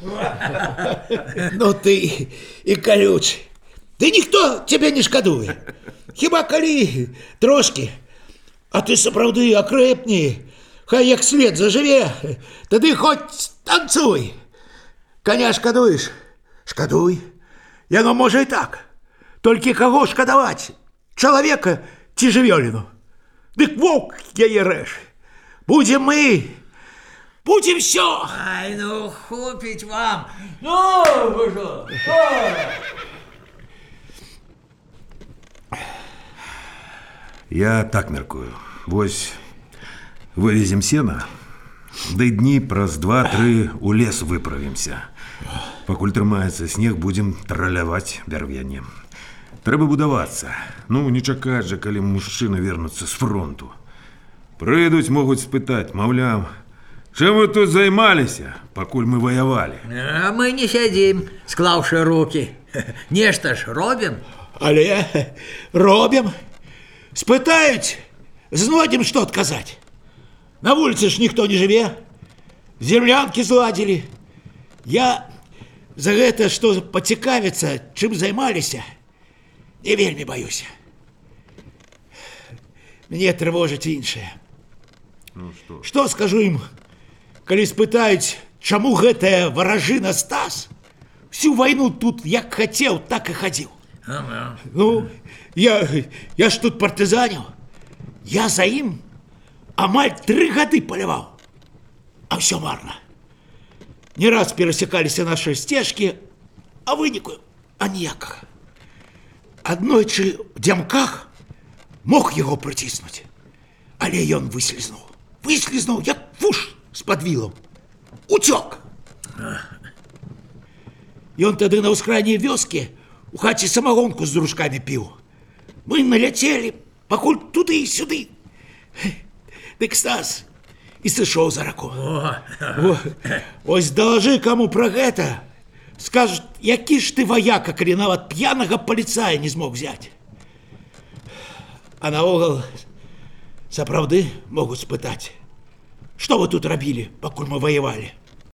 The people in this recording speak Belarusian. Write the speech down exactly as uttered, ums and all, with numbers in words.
Ну ты і колючий. Ты ніхто тебе не шкадуе. Хіба калі трошки. А ты сапраўды акрэпні. Хай як след зажыве, тады хоць танцуй. Коня шкадуеш? Шкадуй. Яно можа і так. Толькі каго шкадаваць? Чалавека ці жывёліну? Дык воўк яе рэж. Будзем мы. Будем все. Ай, ну хопить вам. Ну, вы что? Я так мяркую. Вось вывезем сена, ды дні праз два-тры у лес выправімся. Пакуль трымаецца снег, будзем траляваць бярвенне. Трэба будавацца. Ну, не чакаць жа, калі мужчыны вернуцца з фронту. Прыйдуць, могуць спытаць, маўляў, чым вы тут займаліся, пакуль мы ваявалі? А мы не сядзім, склаўшы рукі. Нешта ж робім. Але робім. Спытаюць, знойдзем, што адказаць. На вуліцы ж ніхто не жыве. Землянкі зладзілі. Я за гэта, што пацікавіцца, чым займаліся, не вельмі баюся. Мне трывожыць іншае. Ну, што? Што скажу ім, калі спытаюць, чаму гэтая варажына Стас всю вайну тут як хацеў, так і хадзіў. Ага. Ну, я, я ж тут партызаніў. Я за ім амаль тры гады паляваў. А ўсё марна. Не раз перасякаліся нашы сцежкі, а выніку аніякага. Аднойчы в дзямках мог яго прыціснуць, але ён выслізнуў. Выслізнуў, як вуш з-пад вілаў. Уцёк. Ён тады на ўскрайняй вёскі у хаце самагонку з дружкамі піў. Мы наляцелі, пакуль туды і сюды. Дык Стас і сышоў за раку. О, ось далажы каму пра гэта. Скажуць, які ж ты ваяка, калі нават п'янага паліцая не змог взяць. А наогул, сапраўды могуць спытаць, што вы тут рабілі, пакуль мы ваявалі?